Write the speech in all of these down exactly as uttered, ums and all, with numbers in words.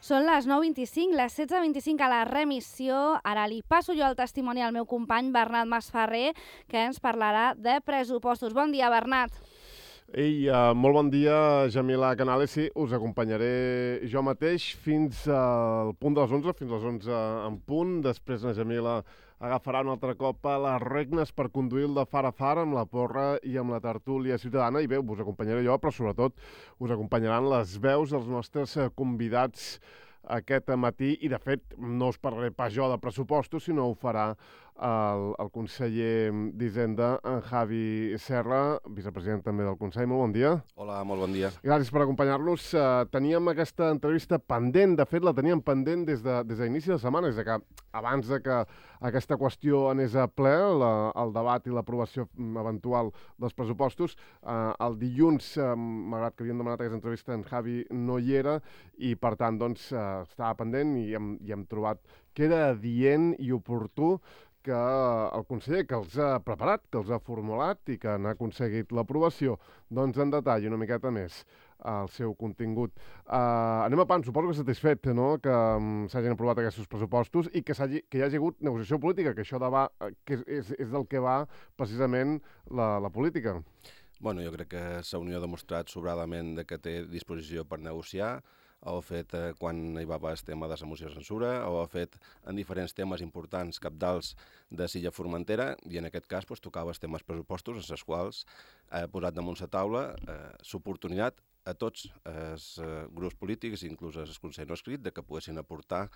Són les nou vint-i-cinc, les setze vint-i-cinc a la remissió. Ara li passo jo el testimoni al meu company Bernat Masferrer, que ens parlarà de pressupostos. Bon dia, Bernat. Ei, uh, molt bon dia, Jamila Canales. Sí, us acompanyaré jo mateix fins al punt de les onze, fins a les onze en punt. Després la Jamila agafarà un altre cop a les regnes per conduir el de far a far amb la porra i amb la tertúlia ciutadana. I bé, us acompanyaré jo, però sobretot us acompanyaran les veus dels nostres convidats aquest matí. I, de fet, no us parlaré pas jo de pressupostos, sinó ho farà el, el conseller d'Hisenda, en Javi Serra, vicepresident també del Consell. Molt bon dia. Hola, molt bon dia. Gràcies per acompanyar-nos. Uh, teníem aquesta entrevista pendent, de fet la teníem pendent des de, des d'inici de setmana, des de que abans de que aquesta qüestió anés a ple, la, el debat i l'aprovació eventual dels pressupostos. Uh, el dilluns, uh, malgrat que havíem demanat aquesta entrevista, en Javi no hi era i, per tant, doncs, uh, estava pendent i hem, i hem trobat que era adient i oportú que el conseller que els ha preparat, que els ha formulat i que n'ha aconseguit l'aprovació, doncs en detall una miqueta més el seu contingut. Uh, anem a pan, suposo que satisfet, no?, que um, s'hagin aprovat aquests pressupostos i que, que hi hagi hagut negociació política, que això de va, que és, és del que va precisament la, la política. Bueno, jo crec que la Unió ha demostrat sobradament que té disposició per negociar. Ho ha fet eh, quan hi va haver el tema de la moció de censura, ho ha fet en diferents temes importants, cabdals de Silla Formentera, i en aquest cas pues, tocava els temes pressupostos, en els quals ha posat damunt la taula eh, l'oportunitat a tots els eh, grups polítics, inclús el Consell no escrit, de que poguessin aportar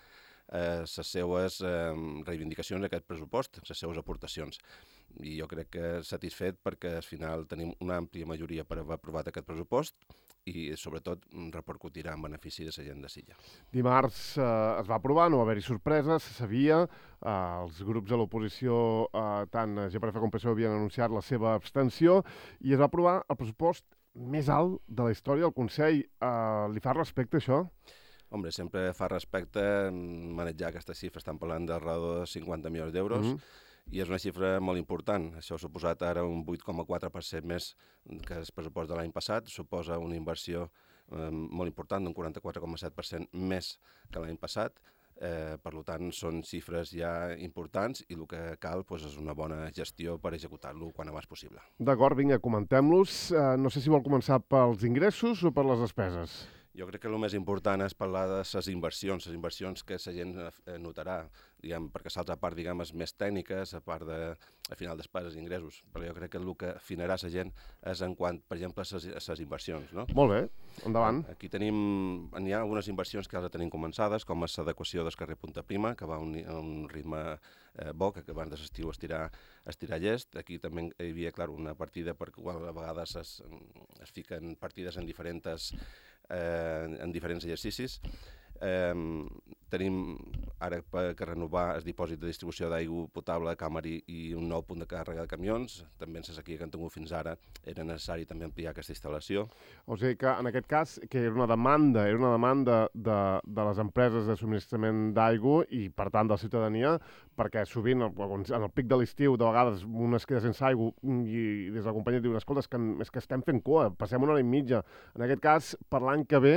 les eh, seues eh, reivindicacions a aquest pressupost, les seues aportacions. I jo crec que satisfet perquè al final tenim una àmplia majoria per haver aprovat aquest pressupost i sobretot repercutirà en benefici de la gent de Silla. Dimarts eh, es va aprovar, no va haver-hi sorpreses, se sabia, eh, els grups de l'oposició, eh, tant G per F com P S O E, havien anunciat la seva abstenció i es va aprovar el pressupost més alt de la història del Consell. Eh, li fa respecte això? Hombre, sempre fa respecte manejar aquesta xifra, estan parlant d'alrededor de cinquanta milions d'euros, mm-hmm. i és una xifra molt important. Això ha suposat ara un vuit coma quatre per cent més que el pressupost de l'any passat, suposa una inversió eh, molt important, d'un quaranta-quatre coma set per cent més que l'any passat. Eh, per tant, són xifres ja importants i el que cal pues, és una bona gestió per executar-lo quan abans possible. D'acord, vinga, comentem-los. Eh, no sé si vol començar pels ingressos o per les despeses. Jo crec que el més important és parlar de les inversions, les inversions que la gent notarà, diguem, perquè l'altra part diguem, és més tècnica, la part de, al final, despeses i ingressos, però jo crec que el que afinarà la gent és en quant, per exemple, a les inversions. No? Molt bé, endavant. Aquí tenim, hi ha algunes inversions que ja tenim començades, com és l'adequació del carrer Punta Prima, que va a un, a un ritme eh, bo, que abans de l'estiu estirar, estirar llest. Aquí també hi havia, clar, una partida per qual a vegades es, es fiquen partides en diferents Eh, en diferents exercicis. Eh, tenim ara que renovar el dipòsit de distribució d'aigua potable a Camari i un nou punt de càrrega de camions. També en la sequia que han tingut fins ara era necessari també ampliar aquesta instal·lació. O sigui que en aquest cas que era una demanda, era una demanda de, de les empreses de subministrament d'aigua i per tant de la ciutadania, perquè sovint en el pic de l'estiu de vegades un es queda sense aigua i des de la companyia diuen, escolta, és que, és que estem fent cua, passem una hora i mitja. En aquest cas, per l'any que ve,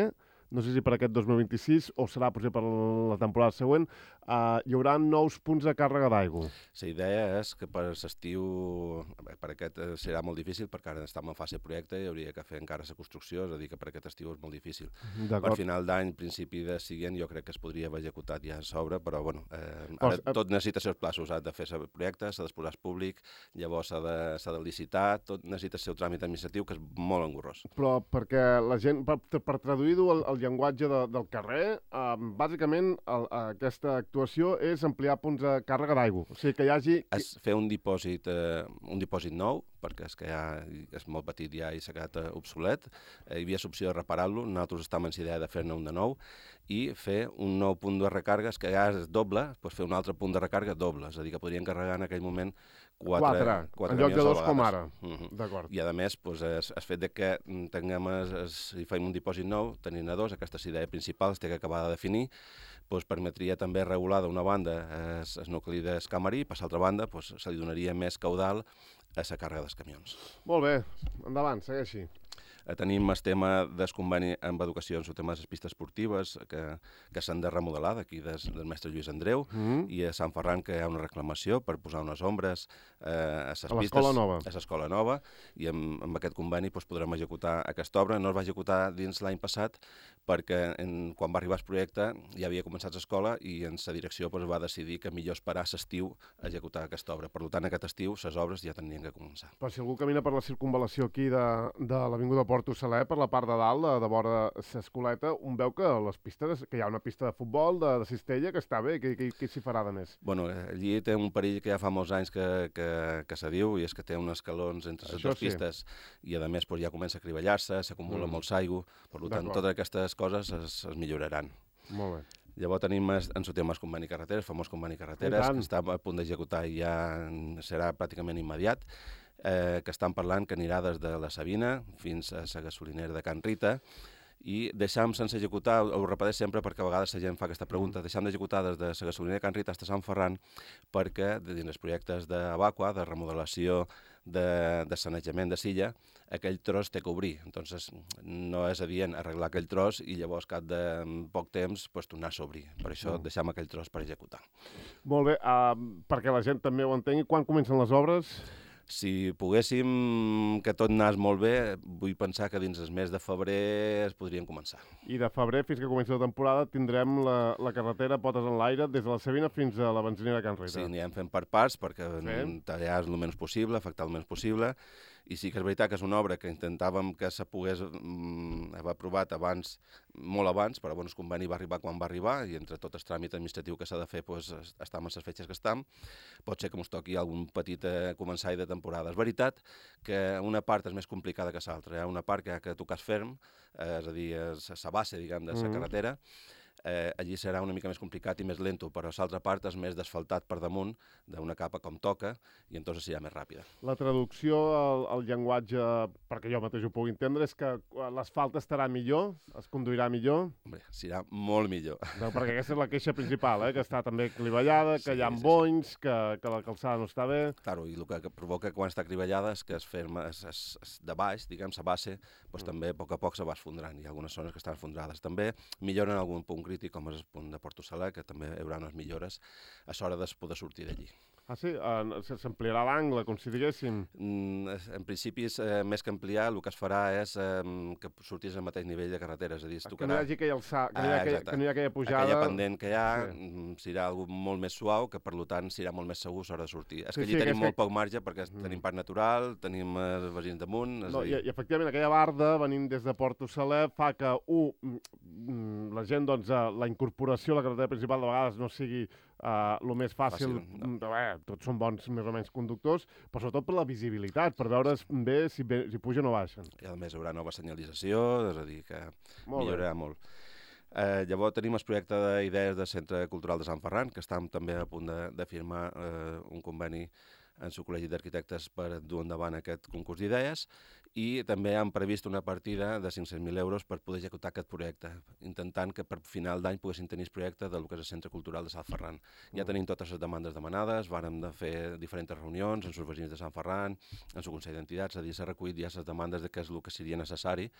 no sé si per aquest dos mil vint-i-sis o serà potser per la temporada següent, uh, hi haurà nous punts de càrrega d'aigua. La idea és que per l'estiu, per aquest serà molt difícil, perquè ara estem en fase de projecte i hauria que fer encara la construcció, és a dir, que per aquest estiu és molt difícil. Per final d'any, principi de següent, jo crec que es podria haver executat ja a sobre, però bueno, eh, ara Pots, tot necessita els plaços, s'ha de fer el projecte, s'ha d'exposar públic, llavors s'ha de, s'ha de licitar, tot necessita el seu tràmit administratiu, que és molt engorrós. Però perquè la gent, per, per traduir-ho al, al llenguatge de, del carrer, eh, bàsicament el, aquesta actuació és ampliar punts de càrrega d'aigua. O sigui, que hi hagi... És fer un dipòsit, eh, un dipòsit nou, perquè és que ja és molt petit ja i s'ha quedat obsolet. Eh, hi havia l'opció de reparar-lo, nosaltres estàvem amb la idea de fer-ne un de nou, i fer un nou punt de recàrrega, que ja és doble, doncs fer un altre punt de recàrega doble, és a dir, que podrien carregar en aquell moment quatre, quatre, quatre en lloc de dos com ara. Uh-huh. D'acord. I a més, doncs, es, es fet de que tinguem, es, es, si fem un dipòsit nou, tenint a dos, aquesta idea principal es té que acabar de definir, doncs permetria també regular d'una banda es, es nucli d'Escamarí, i per l'altra banda doncs, se li donaria més caudal a la càrrega dels camions. Molt bé, endavant, segueixi. Eh, tenim el tema del conveni amb educació en el tema de les pistes esportives que, que s'han de remodelar d'aquí des, del mestre Lluís Andreu mm. i a Sant Ferran que hi ha una reclamació per posar unes ombres eh, a les pistes. A l'escola nova. A l'escola nova i amb, amb aquest conveni doncs, podrem executar aquesta obra. No es va executar dins l'any passat perquè en, quan va arribar el projecte ja havia començat l'escola i en la direcció doncs, va decidir que millor esperar l'estiu a executar aquesta obra. Per tant, aquest estiu les obres ja tenien que començar. Però si algú camina per la circunvalació aquí de, de l'Avinguda Porto Saler, per la part de dalt, de, de vora l'Escoleta, un veu que les pistes, que hi ha una pista de futbol, de, de cistella, que està bé. Què, què, què s'hi farà de més? Bueno, allí té un perill que ja fa molts anys que, que, que se diu, i és que té uns escalons entre les dues sí. pistes i, a més, pues, ja comença a crivellar-se, s'acumula mm. molt aigua, per tant, totes aquestes coses es, es milloraran. Molt bé. Llavors tenim en el tema el conveni carreteres, el famós conveni carreteres, que està a punt d'executar i ja serà pràcticament immediat, eh, que estan parlant que anirà des de la Sabina fins a la gasolinera de Can Rita, i deixam sense executar, ho repeteix sempre perquè a vegades la gent fa aquesta pregunta, deixam d'executar des de la gasolinera de Can Rita fins a Sant Ferran perquè dins els projectes d'Avaqua, de remodelació, de, de sanejament de silla, aquell tros té que obrir. Entonces, no és adient arreglar aquell tros i llavors, cap de poc temps, pues, tornar-se a obrir. Per això mm. deixem aquell tros per executar. Molt bé, uh, perquè la gent també ho entengui, quan comencen les obres? Si poguéssim que tot anés molt bé, vull pensar que dins el mes de febrer es podrien començar. I de febrer fins que comenci la temporada tindrem la, la carretera potes en l'aire des de la Sabina fins a la benzinera Can Rita. Sí, anirem fent per parts perquè sí. tallar el menys possible, afectar el menys possible. I sí que és veritat que és una obra que intentàvem que se pogués mm, haver aprovat abans, molt abans, però bueno, el conveni va arribar quan va arribar i entre tot el tràmit administratiu que s'ha de fer pues, estem en les fetges que estem. Pot ser que ens toqui algun petit eh, començar de temporada. És veritat que una part és més complicada que l'altra. Hi ha una part que ha que tocar ferm, eh, és a dir, la base diguem, de la mm-hmm. carretera. Eh, allí serà una mica més complicat i més lento, però l'altra part és més desfaltat per damunt d'una capa com toca i entonces serà més ràpida. La traducció al, al llenguatge, perquè jo mateix ho puc entendre, és que l'asfalt estarà millor, es conduirà millor? Bé, serà molt millor. No, perquè aquesta és la queixa principal, eh? Que està també clivellada, que sí, hi ha sí, bonys, sí. Que, que la calçada no està bé. Claro, i el que, que provoca quan està clivellada és que es ferma es, es, es de baix, diguem, la base, pues, mm. també a poc a poc se va esfondrant. Hi ha algunes zones que estan esfondrades. També milloren algun punt crític, com és el punt de Porto Saler, que també hi haurà unes millores a l'hora de poder sortir d'allí. Ah, sí? Uh, S'ampliarà l'angle, com si diguéssim? Mm, en principi, eh, més que ampliar, el que es farà és eh, que sortís al mateix nivell de carretera. És a dir, es tocarà... Que no hi hagi aquella, alça... que no hi ha aquella, que no hi ha aquella pujada... Aquella pendent que hi ha sí. serà algo molt més suau, que per tant serà molt més segur a l'hora de sortir. És sí, que allí sí, tenim molt que... poc marge, perquè mm. tenim parc natural, tenim els veïns damunt... No, dir... i, I efectivament, aquella barda, venint des de Porto Saler, fa que, un, la gent, doncs, la incorporació a la carretera principal de vegades no sigui Uh, el més fàcil, fàcil no. eh, tots són bons més o menys conductors, però sobretot per la visibilitat, per veure bé si, bé, si pugen o baixen. I a més hi haurà nova senyalització, és a dir que molt millorarà bé. molt. Eh, llavors tenim el projecte d'idees del Centre Cultural de Sant Ferran, que estem també a punt de, de firmar eh, un conveni en el Col·legi d'Arquitectes per dur endavant aquest concurs d'idees, i també han previst una partida de cinc-cents mil euros per poder executar aquest projecte, intentant que per final d'any poguessin tenir el projecte del que és el Centre Cultural de Sant Ferran. Ja mm. tenim totes les demandes demanades, vàrem de fer diferents reunions amb els veïns de Sant Ferran, amb el Consell d'Entitats, és a dir, s'ha recollit ja les demandes de què és el que seria necessari,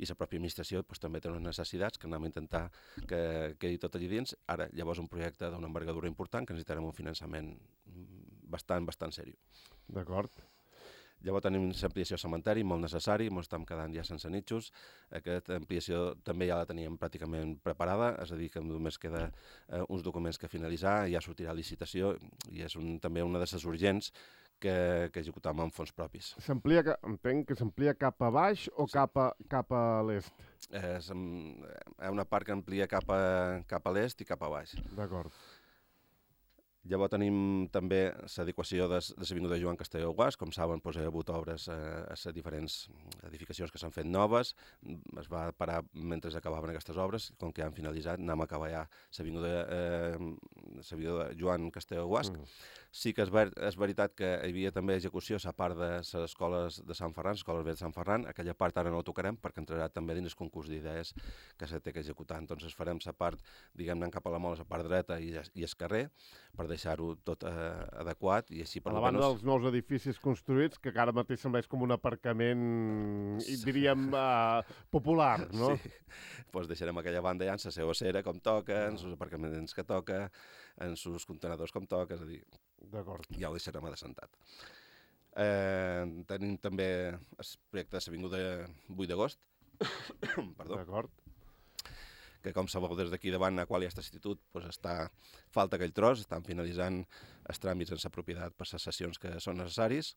i la pròpia administració pues, també té unes necessitats que anem a intentar que quedi tot allí dins. Ara, llavors, un projecte d'una envergadura important que necessitarem un finançament bastant, bastant seriós. D'acord. Llavors tenim l'ampliació cementeri, molt necessari, ens estem quedant ja sense nitxos. Aquesta ampliació també ja la teníem pràcticament preparada, és a dir, que només queda eh, uns documents que finalitzar, ja sortirà licitació, i és un, també una de les urgents que, que executam amb fons propis. S'amplia, entenc que s'amplia cap a baix o sí. cap a, cap a l'est? Eh, hi ha una part que amplia cap a, cap a l'est i cap a baix. D'acord. Llavors tenim també l'adequació de l'Avinguda Joan Castelló Guas. Com saben, doncs, hi ha hagut obres a les diferents edificacions que s'han fet noves. Es va parar mentre acabaven aquestes obres. Com que ja han finalitzat, anem a acabar ja l'Avinguda eh, Joan Castelló Guas. Mm. Sí que és, ver és veritat que hi havia també execució a la part de les escoles de Sant Ferran, les escoles de Sant Ferran. Aquella part ara no ho tocarem perquè entrarà també dins el concurs d'idees que s'ha de executar. Entonces farem la part, diguem-ne, cap a la Mola, la part dreta i, i el carrer, per deixar-ho tot eh, adequat i així per a la banda dels nous edificis construïts, que ara mateix sembleix com un aparcament, sí. diríem, uh, popular, no? Sí, doncs deixarem aquella banda ja en la seva cera com toca, en els aparcaments que toca, en els contenedors com toca, és a dir, ja ho deixarem adassentat. Eh, tenim també el projecte de l'Avinguda vuit d'agost, perdó, d'acord, que com sabeu des d'aquí davant a qual hi ha aquest institut, doncs està, falta aquell tros, estan finalitzant els tràmits en la propietat per les sessions que són necessaris,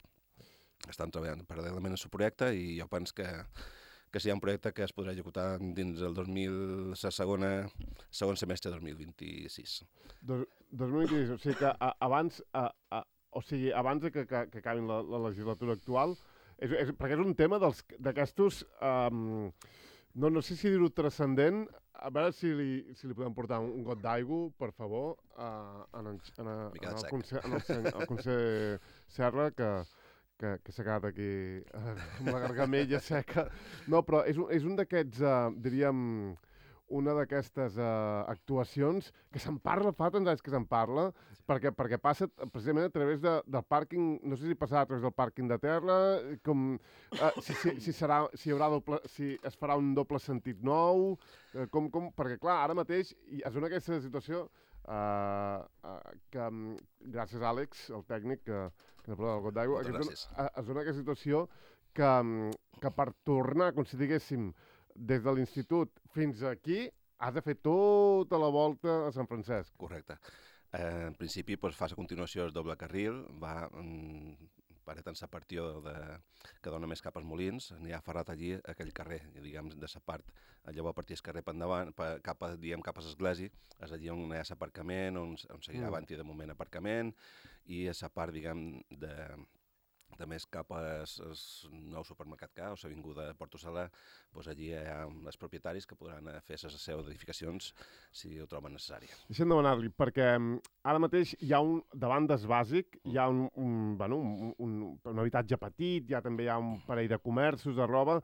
estan treballant paral·lelament en el projecte i jo penso que, que si hi ha un projecte que es podrà executar dins el dos mil, la segona, segon semestre de dos mil vint-i-sis. Dos, dos mil vint-i-sis, o sigui que a, abans, a, a, o sigui, abans de que, que, que acabin la, la legislatura actual, és, és, perquè és un tema d'aquestos, um, no, no sé si dir-ho transcendent, a veure si li, si li podem portar un, un got d'aigua, per favor, uh, en, en, en, en, el conseller, en el, el conseller Serra, que, que, que s'ha quedat aquí uh, amb la gargamella seca. No, però és un, és un d'aquests, uh, diríem, una d'aquestes uh, actuacions que se'n parla, fa tants anys que se'n parla, sí. perquè, perquè passa precisament a través de, del pàrquing, no sé si passarà a través del pàrquing de terra, com, uh, si, si, si, serà, si, hi haurà doble, si es farà un doble sentit nou, uh, com, com, perquè clar, ara mateix es dona aquesta situació uh, uh, que, um, gràcies a Àlex, el tècnic, que, que n'ha parlat del got d'aigua, es, dona, es dona aquesta situació que, um, que per tornar, com si diguéssim, des de l'institut fins aquí, has de fer tota la volta a Sant Francesc. Correcte. Eh, en principi, doncs, fas a continuació el doble carril, va mm, paret en la partió de, que dona més cap als Molins, n'hi ha ferrat allí aquell carrer, diguem, de la part. Llavors, a partir del carrer per endavant, per, cap, a, diguem, cap a l'església, és allí on hi ha l'aparcament, on, on seguirà mm. abans i de moment aparcament, i a la part, diguem, de... de més cap al nou supermercat K, o l'avinguda de Porto Salà, doncs allí hi ha els propietaris que podran fer les seves edificacions si ho troben necessari. Deixem demanar-li, perquè ara mateix hi ha un, davant des bàsic, hi ha un, un, bueno, un, un, un habitatge petit, hi ha també hi ha un parell de comerços, de roba,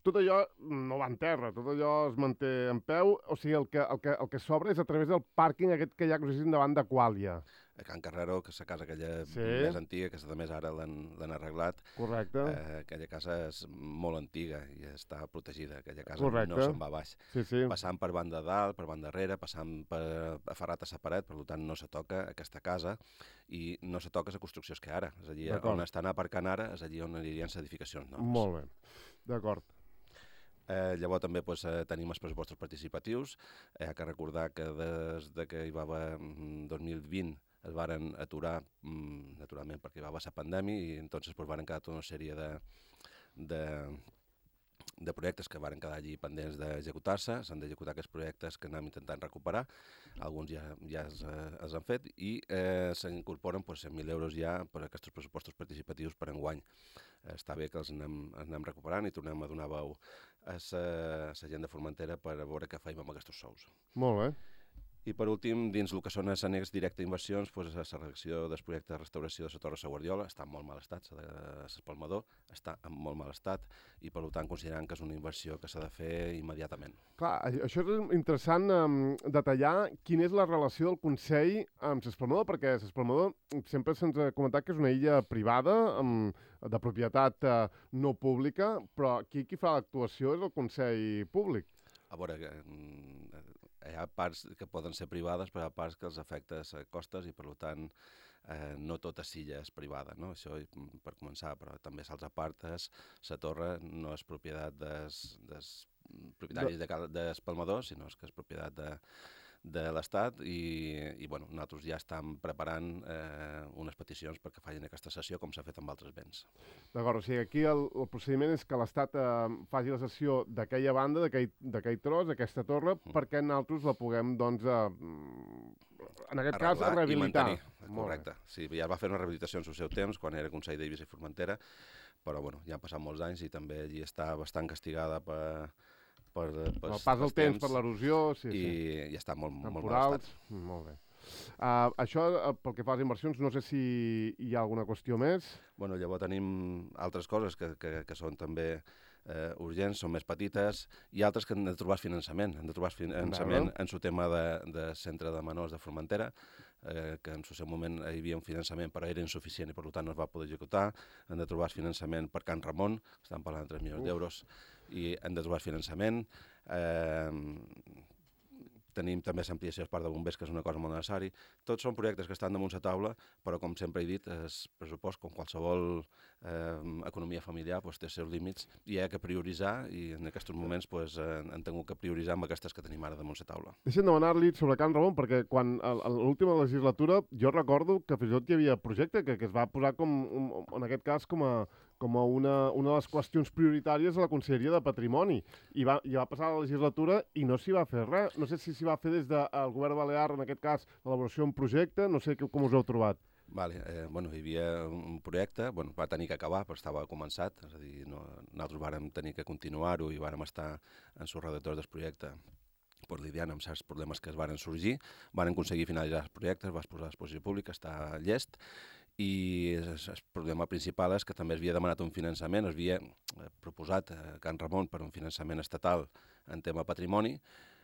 tot allò no va en terra, tot allò es manté en peu, o sigui, el que, el que, el que s'obre és a través del pàrquing aquest que hi ha, que us davant de Quàlia. A Can Carrero, que és la casa aquella sí. més antiga, que a més ara l'han arreglat. Correcte. Eh, aquella casa és molt antiga i està protegida. Aquella casa Correcte. No se'n va baix. Sí, sí. Passant per banda dalt, per banda darrere, passant per aferrat a la paret, per tant no se toca aquesta casa i no se toca la construcció que ara. És allí on estan aparcant ara, és allí on anirien les edificacions noves. Molt bé, d'acord. Eh, llavors també pues, eh, tenim els pressupostos participatius. Hi ha que recordar que des de que hi va haver dos mil vint es varen aturar, mm, naturalment perquè hi va haver la pandèmia, i entonces pues, varen quedar tota una sèrie de, de, de projectes que varen quedar allí pendents d'executar-se. S'han d'executar aquests projectes que anem intentant recuperar. Alguns ja, ja els, els han fet i eh, s'incorporen pues, cent mil euros ja per a aquests pressupostos participatius per enguany. Està bé que els anem, anem recuperant i tornem a donar veu a la gent de Formentera per a veure què feim amb aquests sous. Molt bé. I per últim, dins el que són els annex directe inversions, doncs, la redacció del projecte de restauració de la Torre de la Guardiola està en molt mal estat, l'espalmador està en molt mal estat i per tant considerant que és una inversió que s'ha de fer immediatament. Clar, això és interessant um, detallar quina és la relació del Consell amb l'espalmador, perquè l'espalmador sempre se'ns ha comentat que és una illa privada, um, de propietat uh, no pública, però aquí qui fa l'actuació és el Consell públic. A veure, hi ha parts que poden ser privades, però hi ha parts que els afecta a costes i, per tant, eh, no tota silla és privada, no? Això per començar, però també l'altra part és la torre no és propietat dels, dels propietaris de, d'espalmadors, sinó que és propietat de, de l'Estat i, i bueno, nosaltres ja estem preparant eh, unes peticions perquè facin aquesta sessió com s'ha fet amb altres béns. D'acord, o sigui, aquí el, el procediment és que l'Estat eh, faci la sessió d'aquella banda, d'aquell tros, d'aquesta torre, mm. perquè nosaltres la puguem, doncs, eh, en aquest cas, rehabilitar. Correcte. Sí, ja va fer una rehabilitació en el seu temps, quan era Consell d'Eivissa i Formentera, però bueno, ja han passat molts anys i també allí està bastant castigada per... Per, per el pas del temps, temps, per l'erosió, sí, i, sí. i està molt, molt mal estat. Molt bé. Uh, això, uh, pel que fa a les inversions, no sé si hi ha alguna qüestió més. Bueno, llavors tenim altres coses que, que, que són també eh, urgents, són més petites, i altres que han de trobar finançament. Han de trobar finançament en el tema de, de centre de menors de Formentera. eh, que en el seu moment hi havia un finançament però era insuficient i per tant no es va poder executar. Hem de trobar finançament per Can Ramon, estan parlant de tres milions d'euros, i hem de trobar finançament. Eh, Tenim també l'ampliació del parc de bombers, que és una cosa molt necessari. Tots són projectes que estan damunt la taula, però com sempre he dit, el pressupost, com qualsevol eh, economia familiar, pues, té els seus límits i hi ha que prioritzar, i en aquests moments pues, eh, hem tingut que prioritzar amb aquestes que tenim ara damunt la taula. Deixem demanar-li sobre Can Ramon, perquè quan a, a l'última legislatura jo recordo que fins i tot hi havia projecte que, que es va posar, com, un, en aquest cas, com a com a una, una de les qüestions prioritàries a la Conselleria de Patrimoni. I va, i va passar la legislatura i no s'hi va fer res. No sé si s'hi va fer des del govern balear, en aquest cas, l'elaboració d'un projecte, no sé com us heu trobat. Vale, eh, bueno, hi havia un projecte, bueno, va tenir que acabar, però estava començat, és a dir, no, nosaltres vàrem tenir que continuar-ho i vàrem estar en els redactors del projecte per lidiant amb certs problemes que es varen sorgir, varen aconseguir finalitzar els projectes, va posar a exposició pública, està llest, i el, el problema principal és que també es havia demanat un finançament, es havia proposat a Can Ramon per un finançament estatal en tema patrimoni,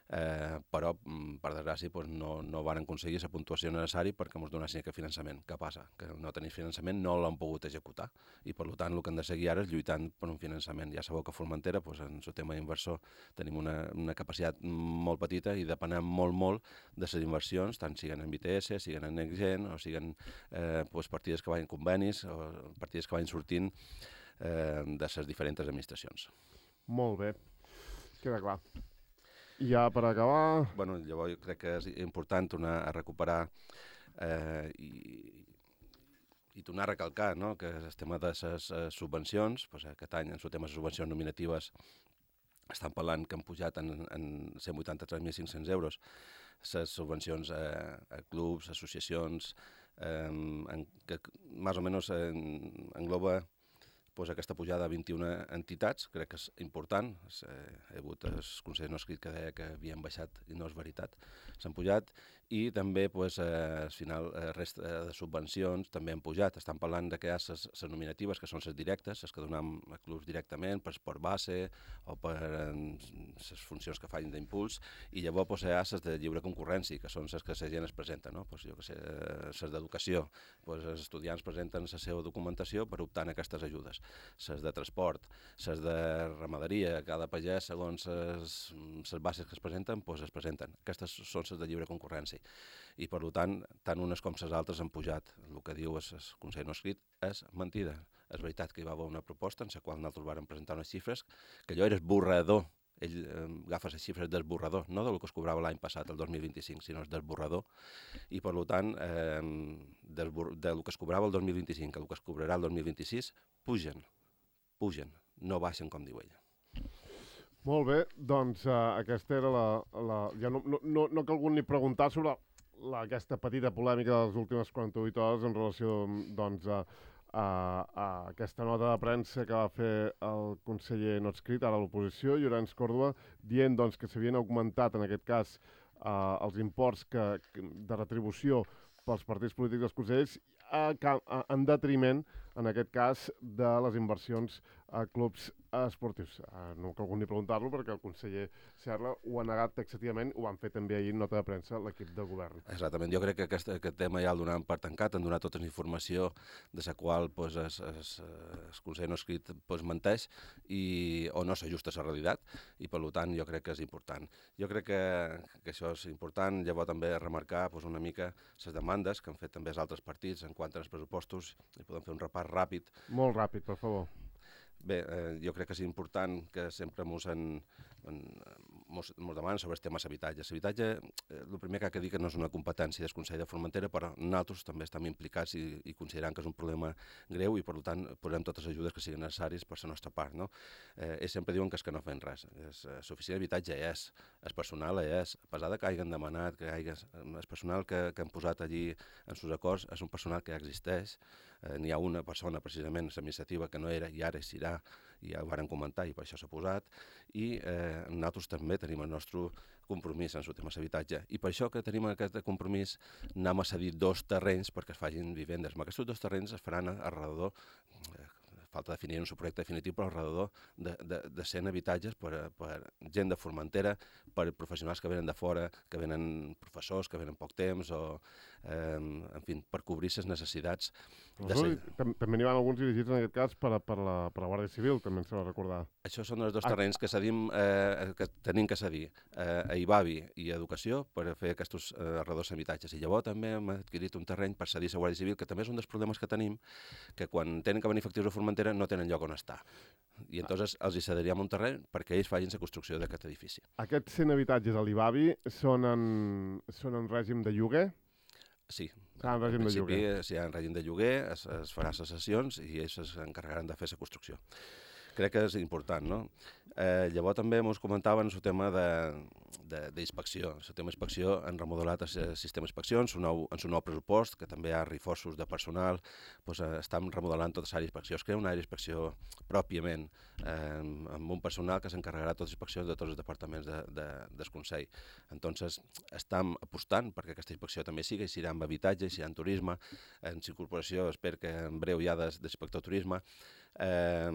eh, però, per desgràcia, doncs, no, no van aconseguir la puntuació necessària perquè ens donessin aquest finançament. Què passa? Que no tenir finançament no l'han pogut executar i, per tant, el que hem de seguir ara és lluitant per un finançament. Ja sabeu que a Formentera, doncs, en el tema d'inversor, tenim una, una capacitat molt petita i depenem molt, molt de les inversions, tant siguin en B T S, siguin en NextGen, o siguin eh, doncs, partides que vagin convenis, o partides que vagin sortint eh, de les diferents administracions. Molt bé, queda clar. I ja per acabar... Bueno, llavors jo crec que és important tornar a recuperar eh, i, i tornar a recalcar, no?, que el tema de les uh, subvencions, pues, aquest any en el tema de subvencions nominatives estan parlant que han pujat en, en cent vuitanta-tres mil cinc-cents euros les subvencions a, a clubs, associacions, eh, en, que més o menys en, engloba pues, aquesta pujada a vint-i-una entitats, crec que és important. Eh, he hagut el conseller no escrit que deia que havien baixat i no és veritat, s'han pujat, i també pues, eh, al final el resta de subvencions també han pujat. Estan parlant de que hi ha les nominatives, que són les directes, les que donem a clubs directament, per esport base o per les funcions que fan d'impuls, i llavors pues, hi ha les de lliure concurrència, que són les que la gent es presenta, no? Pues, jo que sé, les d'educació, pues, els estudiants presenten la seva documentació per optar en aquestes ajudes. Les de transport, les de ramaderia, cada pagès, segons les bases que es presenten, doncs es presenten. Aquestes són les de lliure concurrència. I, per tant, tant unes com les altres han pujat. El que diu el Consell no escrit és mentida. És veritat que hi va haver una proposta en la qual nosaltres vàrem presentar unes xifres, que allò era esborrador. Ell eh, agafa les xifres d'esborrador, no del que es cobrava l'any passat, el dos mil vint-i-cinc, sinó d'esborrador. I, per tant, eh, del, del que es cobrava el dos mil vint-i-cinc al que es cobrarà el dos mil vint-i-sis, pugen. pugen, no baixen, com diu ella. Molt bé, doncs uh, aquesta era la... la ja no, no, no, no cal algú ni preguntar sobre la, aquesta petita polèmica de les últimes quaranta-vuit hores en relació doncs, a, a, a aquesta nota de premsa que va fer el conseller no escrit, ara a l'oposició, Llorenç Còrdova, dient doncs, que s'havien augmentat, en aquest cas, uh, els imports que, de retribució pels partits polítics dels consellers a, a, en detriment, en aquest cas, de les inversions a clubs esportius. Uh, no cal ni preguntar-lo perquè el conseller Serra ho ha negat taxativament, ho van fer també ahir en nota de premsa l'equip de govern. Exactament, jo crec que aquest, aquest tema ja el donaven per tancat, han donat tota la informació de la qual pues, es, es, el conseller no escrit pues, menteix i, o no s'ajusta a la realitat, i per tant jo crec que és important. Jo crec que, que això és important, llavors també remarcar pues, una mica les demandes que han fet també els altres partits en quant als pressupostos, i podem fer un repàs ràpid. Molt ràpid, per favor. Bé, eh, jo crec que és important que sempre mos, en, en, mos, mos demanen sobre els temes habitatge. L'habitatge, eh, el primer que ha de dir que no és una competència del Consell de Formentera, però nosaltres també estem implicats i, i considerant que és un problema greu i, per tant, posem totes les ajudes que siguin necessàries per la nostra part. No? Eh, ells sempre diuen que és que no fem res. L'oficina d'habitatge és, el personal és, a pesar de que hagin demanat, que hagi, el personal que, que han posat allí en els acords és un personal que ja existeix. Eh, n'hi ha una persona, precisament, l'administrativa, que no era i ara serà, i ja ho varen comentar i per això s'ha posat, i eh, nosaltres també tenim el nostre compromís en el tema d'habitatge. I per això que tenim aquest compromís anem a cedir dos terrenys perquè es facin vivendes. Amb aquests dos terrenys es faran alrededor, eh, falta definir un subprojecte definitiu per alrededor de, de, de cent habitatges per, per gent de Formentera, per professionals que venen de fora, que venen professors, que venen poc temps, o, eh, en fi, per cobrir les necessitats. De ser... També n'hi van alguns dirigits, en aquest cas, per a, per la, per la Guàrdia Civil, també ens s'ha de recordar. Això són els dos terrenys que, cedim, eh, que tenim que cedir, eh, a Ibavi i a Educació, per fer aquests eh, arredors habitatges. I llavors també hem adquirit un terreny per cedir a la Guàrdia Civil, que també és un dels problemes que tenim, que quan tenen que venir efectius a Formentera no tenen lloc on estar. I llavors els hi cediríem un terreny perquè ells facin la construcció d'aquest edifici. Aquests cent habitatges a l'Ibavi són, en, són en règim de lloguer? Sí, ah, en règim en de lloguer. Si hi ha en règim de lloguer, es, es farà les sessions i ells s'encarregaran de fer la construcció. Crec que és important, no? Eh, llavors també ens comentaven el tema d'inspecció. El tema d'inspecció han remodelat el sistema d'inspecció en un nou pressupost, que també hi ha reforços de personal, doncs, eh, estan remodelant tota l'àrea d'inspecció. Es crea una àrea d'inspecció pròpiament, eh, amb un personal que s'encarregarà de totes les inspeccions de tots els departaments de, de, del Consell. Entonces, estem apostant perquè aquesta inspecció també sigui, si hi ha amb habitatge, si hi ha en turisme, en incorporació, espero que en breu hi ha d'inspector de turisme, eh,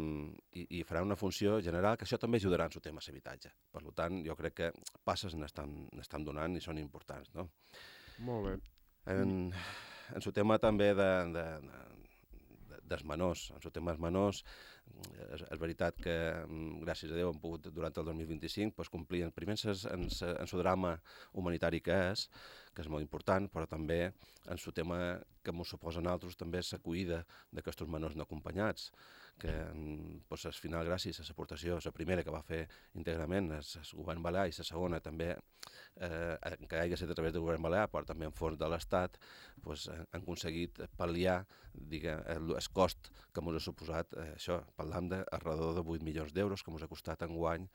i, i farà una funció general, que això també ajudarà en el tema d'habitatge. Per tant, jo crec que passes n'estan donant i són importants, no? Molt bé. En, en el tema també de, de, de, dels menors, en el tema dels menors, és, és veritat que, gràcies a Déu, hem pogut, durant el dos mil vint-i-cinc, pues, complir en primer en el drama humanitari que és, que és molt important, però també en el tema que ens suposa a nosaltres també és l'acollida d'aquests menors no acompanyats, que pues, al final, gràcies a l'aportació, la primera que va fer íntegrament el govern balear i la segona també, eh, que hagi estat a través del govern balear, però també en fons de l'Estat, pues, han aconseguit pal·liar digue, el, el cost que ens ha suposat eh, això. Parlam d'alrededor de vuit milions d'euros que ens ha costat enguany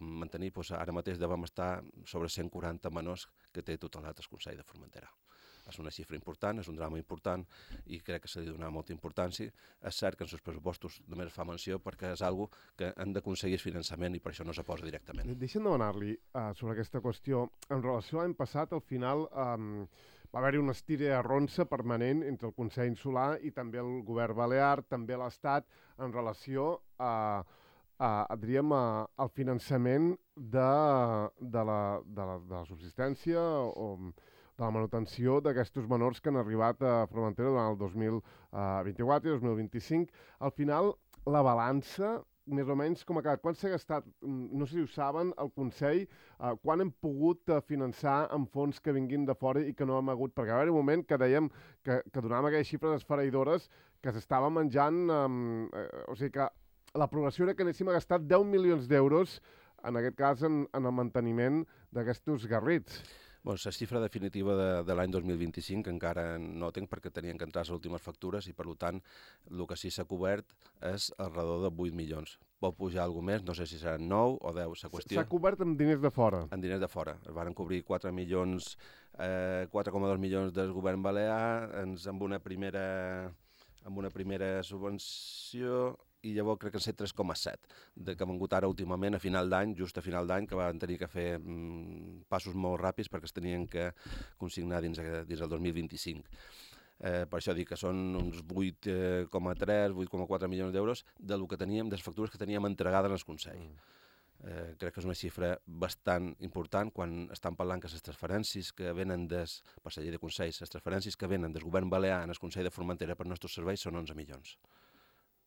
mantenir, pues, ara mateix devem estar sobre cent quaranta menors que té tutelat el Consell de Formentera. És una xifra important, és un drama important i crec que s'ha de donar molta importància. És cert que en els pressupostos només fa menció perquè és una cosa que han d'aconseguir finançament i per això no se posa directament. Deixa'm demanar-li uh, sobre aquesta qüestió. En relació a l'any passat, al final um, va haver-hi una estira ronça permanent entre el Consell Insular i també el govern balear, també l'Estat, en relació a, a, a, diríem, a, al finançament de, de, la, de, la, de la subsistència o de la manutenció d'aquests menors que han arribat a Formentera durant el dos mil vint-i-quatre i dos mil vint-i-cinc. Al final, la balança, més o menys, com ha quedat? Quan s'ha gastat, no sé si ho saben, el Consell, eh, quan hem pogut eh, finançar amb fons que vinguin de fora i que no hem hagut? Perquè va haver un moment que dèiem que, que donàvem aquelles xifres esfereïdores que s'estava menjant, eh, o sigui que la progressió era que anéssim a gastar deu milions d'euros, en aquest cas, en, en el manteniment d'aquests garrits. Bueno, la xifra definitiva de, de l'any dos mil vint-i-cinc encara no tinc perquè tenien que entrar les últimes factures i, per tant, el que sí s'ha cobert és alrededor de vuit milions. Pot pujar alguna més, no sé si seran nou o deu, la qüestió. S'ha cobert amb diners de fora? Amb diners de fora. Es van cobrir quatre milions, eh, quatre coma dos milions del govern balear, ens, amb una primera, amb una primera subvenció, i llavors crec que han set tres coma set, que han vingut ara últimament a final d'any, just a final d'any, que van tenir que fer mm, passos molt ràpids perquè es tenien que consignar dins, dins el dos mil vint-i-cinc. Eh, per això dic que són uns vuit coma tres, vuit coma quatre milions d'euros del que teníem, de les factures que teníem entregades al Consell. Eh, crec que és una xifra bastant important quan estan parlant que les transferències que venen des, per la llei de Consells, les transferències que venen del govern balear en el Consell de Formentera per nostres serveis són onze milions.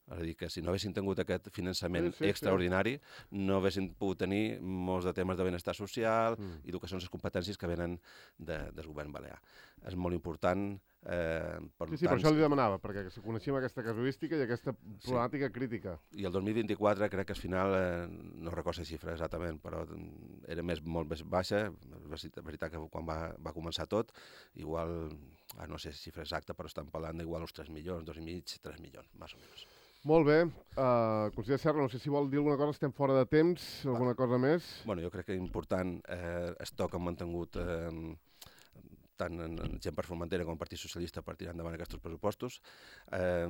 És a dir, que si no haguessin tingut aquest finançament sí, sí, extraordinari, sí. no haguessin pogut tenir molts de temes de benestar social mm. i el que són les competències que venen de, del govern balear. És molt important. Eh, per sí, sí, tant, per això li demanava, perquè coneixem aquesta casuística i aquesta problemàtica sí. crítica. I el dos mil vint-i-quatre crec que al final, eh, no recordo la xifra exactament, però era més, molt més baixa. És veritat que quan va, va començar tot, igual, ah, no sé la xifra exacta, però estan parlant d'igual uns tres milions, dos i mig, tres milions, més o menys. Molt bé. Uh, conseller Serra, no sé si vol dir alguna cosa, estem fora de temps, alguna cosa més? Bueno, jo crec que és important eh, el to que han mantingut eh, tant en, en gent per Formentera com el Partit Socialista per tirar endavant aquests pressupostos. Eh,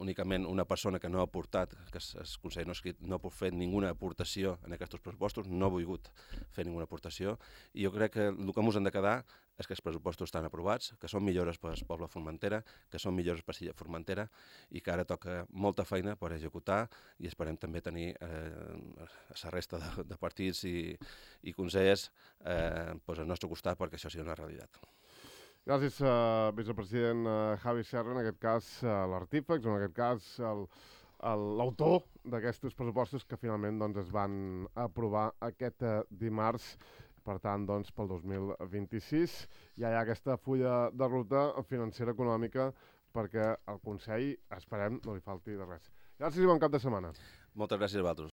únicament una persona que no ha aportat, que el Consell no ha escrit, no ha fet ninguna aportació en aquests pressupostos, no ha volgut fer ninguna aportació, i jo crec que el que ens hem de quedar és que els pressupostos estan aprovats, que són millores per al poble Formentera, que són millores per a Formentera i que ara toca molta feina per executar i esperem també tenir eh, la resta de, de partits i, i consellers eh, pues al nostre costat perquè això sigui una realitat. Gràcies, uh, vicepresident uh, Javi Serra, en aquest cas uh, l'artífex, o en aquest cas el, el, l'autor d'aquests pressupostos que finalment doncs, es van aprovar aquest uh, dimarts. Per tant, doncs, pel dos mil vint-i-sis ja hi ha aquesta fulla de ruta financera econòmica perquè al Consell, esperem, no li falti de res. Gràcies i bon cap de setmana. Moltes gràcies a vosaltres.